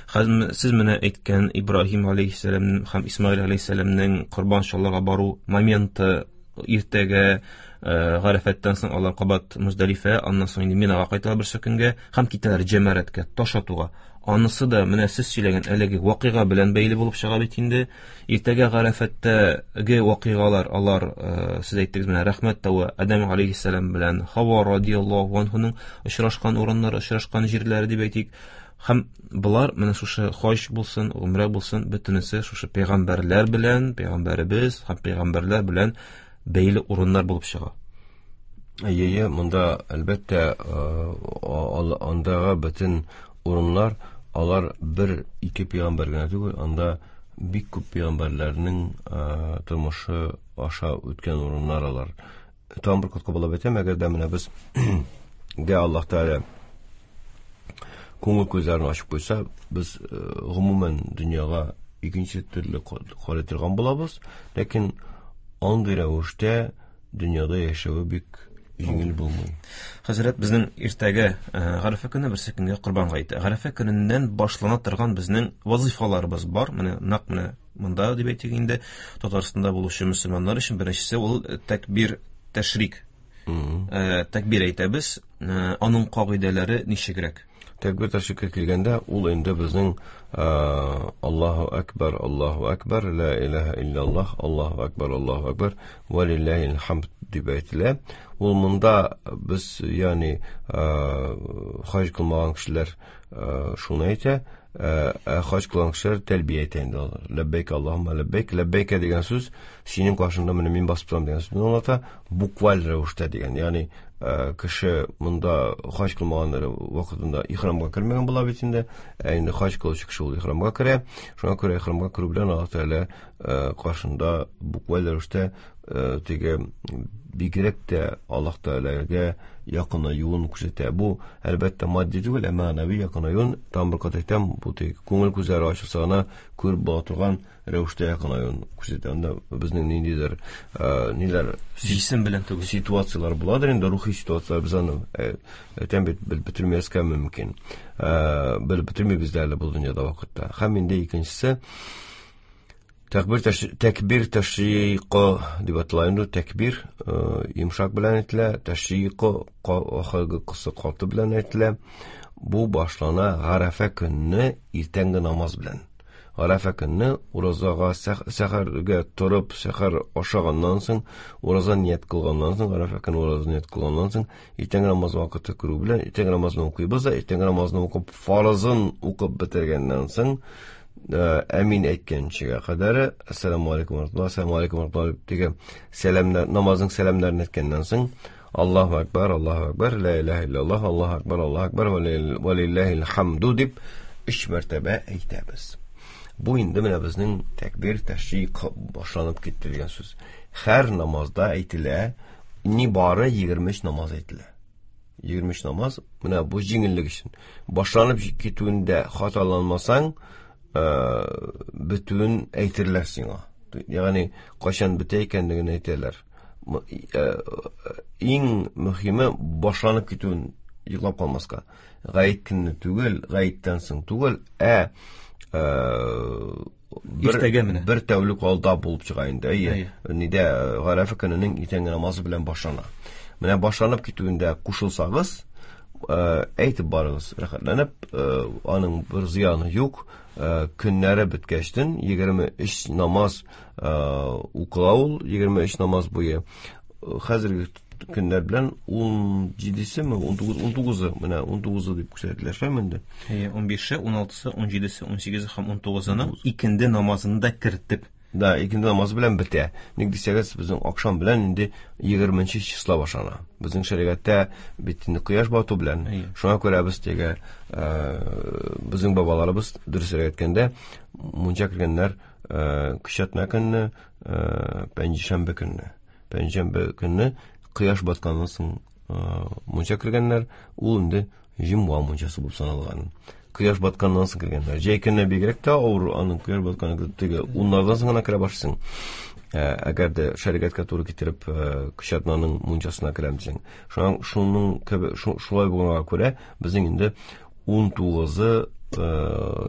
Хәзер сез менә әйткән Ибраһим алейһиссәлам һәм Исмаил алейһиссәламнең корбан чалырга бару моменты иртәгә Гарәфәттән соң алар кабат Муздалифә, аннан соң инде Минага кайталар берсе көнгә һәм китәләр Җәмәрәткә, таш атуга. Анысы да менә сез сөйләгән әлеге вакыйга белән бәйле булып чыга бит инде. Иртәгә Гарәфәттәге вакыйгалар, алар, сез әйттегез менә Рәхмәт тавы, Адәм алейһиссәлам белән Хава радияллаһу анһуның очрашкан урыннары, очрашкан җирләре дип әйтик. Һәм болар менә шушы хаҗ булсын, гомрә булсын, бөтенесе шушы пәйгамбәрләр белән, пәйгамбәребез һәм пәйгамбәрләр белән бәйле урыннар булып чыга. Әйе, монда әлбәттә, андагы бөтен урыннар, алар бер ике пәйгамбәр генә түгел, анда бик күп пәйгамбәрләрнең тормышы аша үткән урыннар алар. Тагын бер кат кабатлап әйтәм, әгәр дә менә без дә Аллаһ Тәгалә күңел күзләрен ачып куйса, без гомумән дөньяга икенче төрле карый торган булабыз, ләкин андый рәвештә дөньяда яшәве бик җиңел булмый. Хәзрәт, безнең иртәгә Гарәфә көне, берсе көнгә Корбан гаете. Гарәфә көненнән башлана торган безнең вазифаларыбыз бар. Менә нәкъ менә монда дип әйтик инде, Татарстанда булучы мөселманнар өчен беренчесе ул тәкбир тәшрик. Тәкбир әйтәбез. Аның кагыйдәләре ничегрәк? Тәкбир тәшриккә килгәндә, ул инде безнең Аллаһу акбар, Аллаһу акбар, ла илаһа илляллаһ, Аллаһу акбар, Аллаһу акбар, ва лиллаһил хамд дип әйтелә. Ул монда без, ягъни, хаҗ кылмаган кешеләр шуны әйтә, хаҗ кылган кешеләр тәлбия әйтә инде алар. Ләббәйк Аллаһумма ләббәйк. Ләббәйкә дигән сүз синең каршыңда менә мин басып торам дигән сүзне аңлата, букваль рәвештә дигән. Ягъни, кеше монда хаҗ кылмаган вакытында ихрамга кермәгән була бит инде. Ә инде хаҗ кылучы кеше ул ихрамга керә. Шуңа күрә ихрамга керү белән Аллаһ Тәгалә каршында букваль рәвештә теге бигрәк тә Аллаһ Тәгаләгә якынаюын күрсәтә. Бу әлбәттә матди түгел, ә мәгънәви якынаюын, тагын бер кат әйтәм, бу теге күңел күзләре ачылса гына күреп була торган рәвештә якынаюын күрсәтә. Анда безнең ниндидер ниләр җисем белән түгел ситуацияләр буладыр инде, рухи ситуацияләр, без аны әйтәм бит, белеп бетермәскә мөмкин. Белеп бетермибез дә әле бу дөньяда вакытта. Һәм инде икенчесе тәкбир тәшриқы дип атала инде. Тәкбир йомшак белән әйтелә, тәшриқы ахыргы кысы каты белән әйтелә. Бу башлана Гарәфә көнне иртәнге намаз белән. Гарәфә көнне уразага сәхәргә торып, сәхәр ашаганнан соң, ураза ният кылганнан соң, Гарәфә көнне ураза ният кылганнан соң, иртәнге намаз вакыты керү белән иртәнге намазны укыйбыз да, иртәнге намазны укып, фарызын укып бетергәннән соң, әмин әйткәнчегә кадәр, ассаламу алейкум ва рахматуллах, ассаламу алейкум ва рахматуллах дигән сәламнәр, намазның сәламнәрен әйткәннән соң, Аллаһу акбар, Аллаһу акбар, ла илаһа илляллаһ, Аллаһу акбар, Аллаһу акбар, ва лиллаһил хамду дип өч мәртәбә әйтәбез. Бу инде менә безнең тәкбир тәшрик башланып китте дигән сүз. Һәр намазда әйтелә, ни бары 23 намаз әйтелә. 23 намаз, менә бу җиңеллек өчен. Башланып китүендә хаталанмасаң, бетүен әйтерләр сиңа. Ягъни кайчан бетә икәнлеген әйтәләр. Иң мөһиме башланып китүен йоклап калмаска. Гаит көнне түгел, гаиттән соң түгел, Иртәгә менә. бер тәүлек алда булып чыга инде. Әйе. Нидә, Гарәфә көненең иртәнге намазы белән башлана. Менә башланып китүендә кушылсагыз, әйтеп барыгыз, рәхәтләнеп, аның бер зыяны юк. Көннәре беткәчтен 23 намаз укыла ул, 23 намаз буе. Хәзерге көннәр белән ун җидесеме, ун тугыз, ун тугызы, менә ун тугызы дип күрсәтелә шулай инде. Әйе, ун бише, ун алтысы, ун җидесе, ун сигезе һәм ун тугызының икенде намазын да кертеп. Да, икенде намазы белән бетә. Ник дисәгез, безнең акшам белән инде егерменче число башлана. Безнең шәригатьтә бит инде кояш бату белән. Шуңа күрә без теге, безнең бабаларыбыз дөресрәк әйткәндә, мунча кергәннәр, көчәтмә көнне, пәнҗешәмбе көнне. Пәнҗешәмбе көнне кояш батканнан соң, мунча кергәннәр, ул инде җомга мунчасы булып саналган. Кояш батканнан соң кергәннәр. Җәй көне бигрәк тә авыр, аның кояш батканнан теге уннардан соң гына керә башлыйсың. Әгәр дә шәригатькә туры китереп, кече атнаның мунчасына керәм дисәң. Шуның шуның кебек шулай булганга күрә, безнең инде 19-ы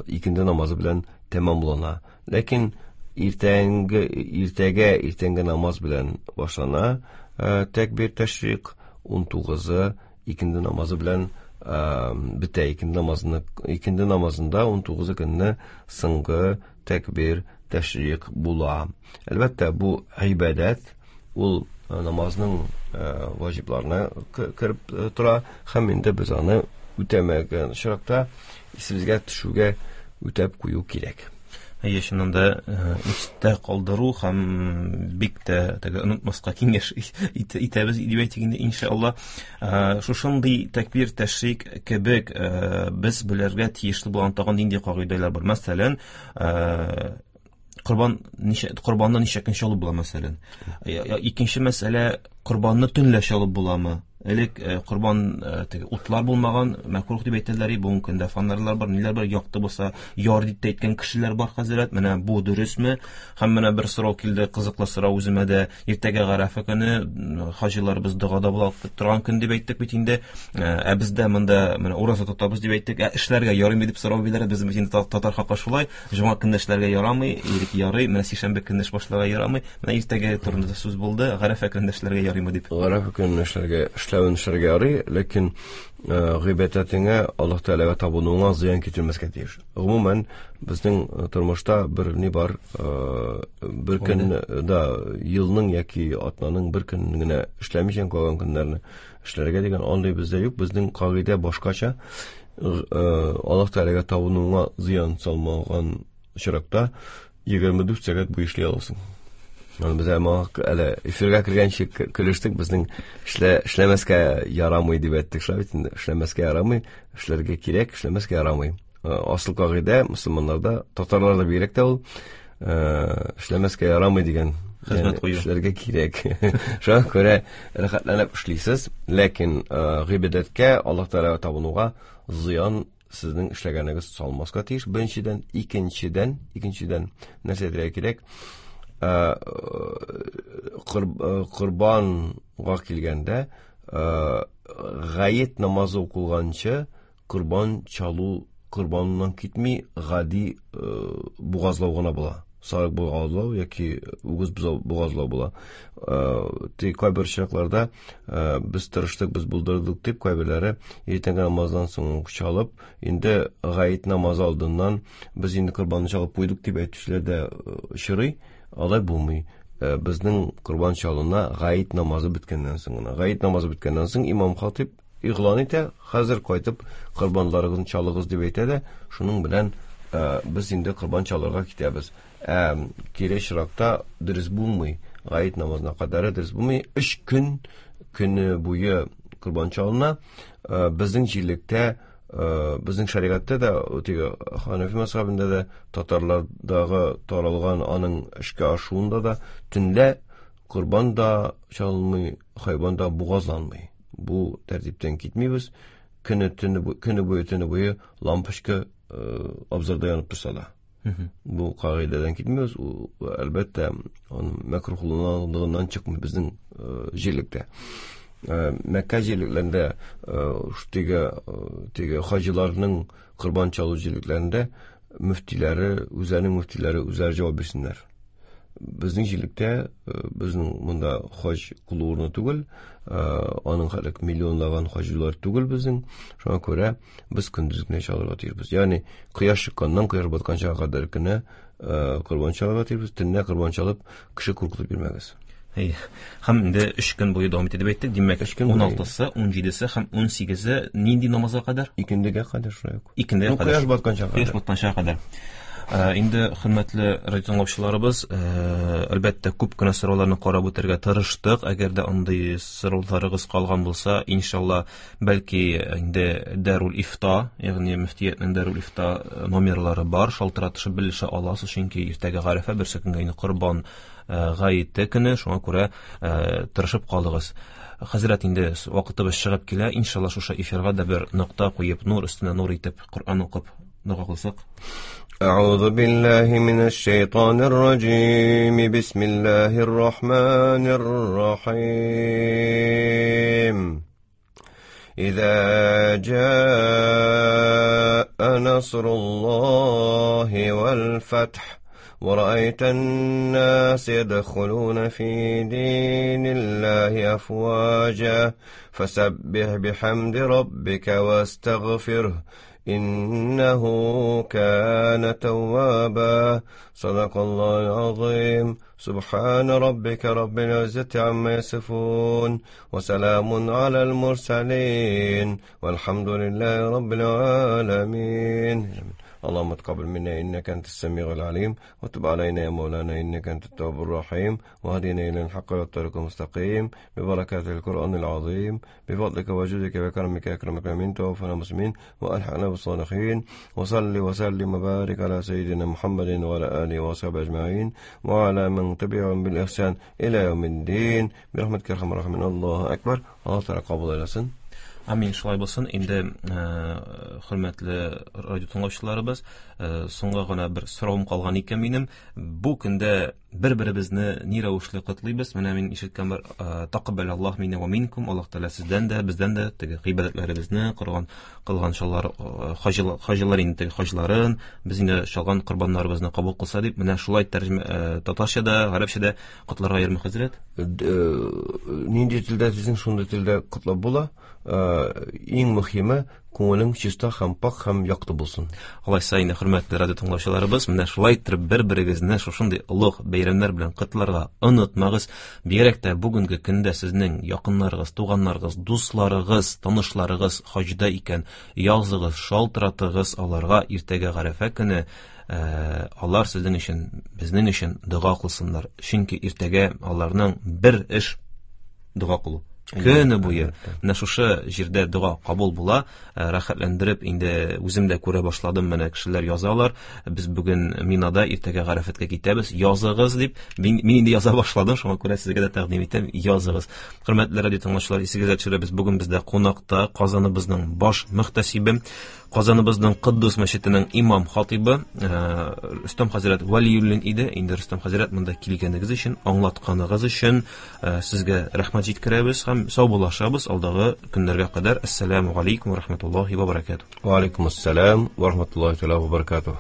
икенде намазы белән тәмамлана. Ләкин иртәнге иртәгә иртәнге намаз белән башлана тәкбир тәшрик, 19-ы икенде намазы белән бетә. Икенде намазны икенде намазында 19-ы көнне соңгы тәкбир тәшрик була. Әлбәттә, бу гыйбадәт, ул намазның ваҗибларына кереп тора һәм инде без аны үтәмәгән очракта исебезгә төшүгә үтәп кую кирәк. Әйе, чыннан да истә калдыру һәм бик тә теге онытмаска киңәш итәбез дип әйтик инде, иншалла. Шушындый тәкбир тәшрик кебек без белергә тиешле булган тагын нинди кагыйдәләр бар? Мәсәлән, корбан ничә корбанны ничә көн чалып була, мәсәлән? Икенче мәсьәлә, корбанны төнлә чалып буламы? Элек корбан теге утлар булмаган, мәкрух дип әйтәләр, бүгенге көндә фонарьлар бар, ниләр бар, якты булса, яр дип тә әйткән кешеләр бар, хәзрәт. Менә бу дөресме? Һәм менә бер сорау килде, кызыклы сорау үземә дә. Иртәгә Гарәфә көне, хаҗиларыбыз догада була торган көн дип әйттек бит инде. Ә бездә монда менә ураза тотабыз дип әйттек. Ә эшләргә ярыймы дип сорау бирделәр. Без бит инде татар халкы шулай, җомга көнне эшләргә ярамый, ирек ярый, менә сишәмбе көнне эш башларга ярамый. Менә иртәгә турында сүз булды, Гарәфә көнендә эшләргә ярыймы дип. Гарәфә көнендә эшләргә, эшләвен эшләргә ярый, ләкин гыйбадәтеңә, Аллаһ Тәгаләгә табынуыңа зыян китермәскә тиеш. Гомумән, безнең тормышта бер ни бар, бер көн да елның яки атнаның бер көнен генә эшләмичә калган көннәрне эшләргә дигән андый бездә юк. Безнең кагыйдә башкача. Аллаһ Тәгаләгә табынуыңа зыян салмаган очракта 24 сәгать буе эшли аласың. Аны без әле эфирга кергәнче көлештек, безнең эшләмәскә ярамый дип әйттек, шулай бит инде. Эшләмәскә ярамый, эшләргә кирәк, эшләмәскә ярамый. Асыл кагыйдә мөселманнарда, татарларда бигрәк тә ул, эшләмәскә ярамый дигән хезмәт кую. Эшләргә кирәк. Шуңа күрә рәхәтләнеп эшлисез, ләкин гыйбадәткә, Аллаһ Тәгаләгә табынуга зыян сезнең эшләгәнегез салмаска тиеш. Беренчедән, икенчедән, икенчедән нәрсә әйтергә кирәк? Корбанга килгәндә, гает намазы укылганчы корбан чалу корбаннан китми, гади бугазлау гына була. Сарык бугазлау яки үгез бугазлау була. Тик кайбер очракларда без тырыштык, без булдырдык дип кайберләре иртәнге намаздан соң ук чалып, инде гает намазы алдыннан без инде корбанны чалып куйдык дип әйтүчеләр дә очрый. Алай булмый. Безнең корбан чалына гает намазы беткәннән соң гына. Гает намазы беткәннән соң имам хатип игълан итә, хәзер кайтып корбанларыгызны чалыгыз дип әйтә дә, шуның белән без инде корбан чалырга китәбез. Кире очракта дөрес булмый. Гает намазына кадәр дөрес булмый. 3 көн көне буе корбан чалына. Безнең җирлектә, безнең шәригатьтә дә, теге Ханафи мәзһәбендә дә, татарлардагы таралган аның эшкә ашуында да төнлә корбан да чалынмый, хайван да бугазланмый. Бу тәртиптән китмибез. Көне төне көне буе төне буе лампочка абзарда янып торса да. Бу кагыйдәдән китмибез. Ул, әлбәттә, аның мәкруһлыгыннан чыкмый безнең җирлектә. Мәккә җирлекләрендә, теге хаҗиларның корбан чалу җирлекләрендә мөфтиләре, үзләренең мөфтиләре үзләре җавап бирсеннәр. Безнең җирлектә, безнең монда хаҗ кылу урыны түгел, аның хәлек миллионлаган хаҗилар түгел безнең. Шуңа күрә без көндез генә чалырга тиешбез. Ягъни кояш чыкканнан кояш батканча кадәр генә корбан чалырга тиешбез. Төнлә корбан чалып кеше куркытып йөрмәгез. Әй, һәм инде 3 көн буе дәвам итә дип әйттек. Димәк, 3 көн буе. 16-сы, 17-се һәм 18-се нинди намазга кадәр? Икендегә кадәр шулай ук. Икендегә кадәр. Кояш батканча кадәр. Кояш батканча кадәр. Инде, хөрмәтле радио тыңлаучыларыбыз, әлбәттә, күп кенә сорауларны карап үтәргә тырыштык. Әгәр дә андый сорауларыгыз калган булса, иншалла, бәлки инде Дәрул Ифта, ягъни мөфтиятнең Дәрул Ифта номерлары бар, шалтыратышып белешә аласыз, чөнки иртәгә Гарәфә, берсе көнгә инде Корбан гаете көне, шуңа күрә тырышып калыгыз. Хәзрәт, инде вакытыбыз чыгып килә, иншалла, шушы эфирга да бер нокта куеп, нур өстенә нур итеп, Коръән укып, дога кылсак. أعوذ بالله من الشيطان الرجيم بسم الله الرحمن الرحيم إذا جاء نصر الله والفتح ورأيت الناس يدخلون في دين الله أفواجا فسبح بحمد ربك واستغفره إنه كان توابا صدق الله العظيم سبحان ربك رب العزة عما يصفون وسلام على المرسلين والحمد لله رب العالمين اللهم تقبل منا إنك أنت السميع العليم وتب علينا يا مولانا إنك أنت التواب الرحيم وهدنا إلى الحق والطريق المستقيم ببركة القرآن العظيم بفضلك وجودك وكرمك يا أكرم الأكرمين توفنا مسلمين وألحقنا بالصالحين وصل وسلم وبارك على سيدنا محمد وعلى آله وصحبه أجمعين وعلى من تبعهم بالإحسان إلى يوم الدين برحمتك يا أرحم الراحمين الله أكبر الله تعالى кабул әйләсен. Амин, шулай булсын. Инде, хөрмәтле радио тыңлаучыларыбыз, соңга гына бер соравым калган икән минем. Бу көндә бер-беребезне ни рәвешле котлыйбыз? Менә мин ишеткән бер тақаббал Аллаһ минна ва минкум, Аллаһ Тәгалә сездән дә, бездән дә теге гыйбадәтләребезне, кылган кылган шаллар, хаҗилар инде теге хаҗларын, без инде чалган корбаннарыбызны кабул кылса дип, менә шулай тәрҗемә татарча да, гарәпчә дә котларга йөрме, хәзрәт? Нинди телдә дисең, шундый телдә котлап була. Иң мөһиме, күңелең чиста һәм пак һәм якты булсын. Алайса инде, хөрмәтле радио тыңлаучыларыбыз, менә шулай итеп бер-берегезне шушындый олуг бәйрәмнәр белән котларга онытмагыз. Бигрәк тә бүгенге көндә сезнең якыннарыгыз, туганнарыгыз, дусларыгыз, танышларыгыз хаҗда икән, языгыз, шалтыратыгыз аларга. Иртәгә Гарәфә көне, алар сезнең өчен, безнең өчен дога кылсыннар. Чөнки иртәгә аларның бер эш дога кылу. Көне буе менә шушы җирдә дога кабул була, рәхәтләндереп инде үзем дә күрә башладым, менә кешеләр язалар, без бүген Минада, иртәгә Гарәфәткә китәбез, языгыз дип. Мин инде яза башладым, шуңа күрә сезгә дә тәкъдим итәм, языгыз. Хөрмәтле радио тыңлаучылар, исегезгә төшерәбез, бүген бездә кунакта Казаныбызның баш мөхтәсибе, Казаныбызның Куддус мәчетенең имам хатибы Рөстәм хәзрәт Вәлиуллин иде. Инде Рөстәм хәзрәт, монда килгәнегез өчен, аңлатканыгыз өчен сезгә рәхмәт җиткерәбез һәм саубуллашабыз алдагы көннәргә кадәр. Ассаламу алейкум ва рахматуллахи ва баракатуh. Ва алейкум ассалам ва рахматуллахи ва баракатуh.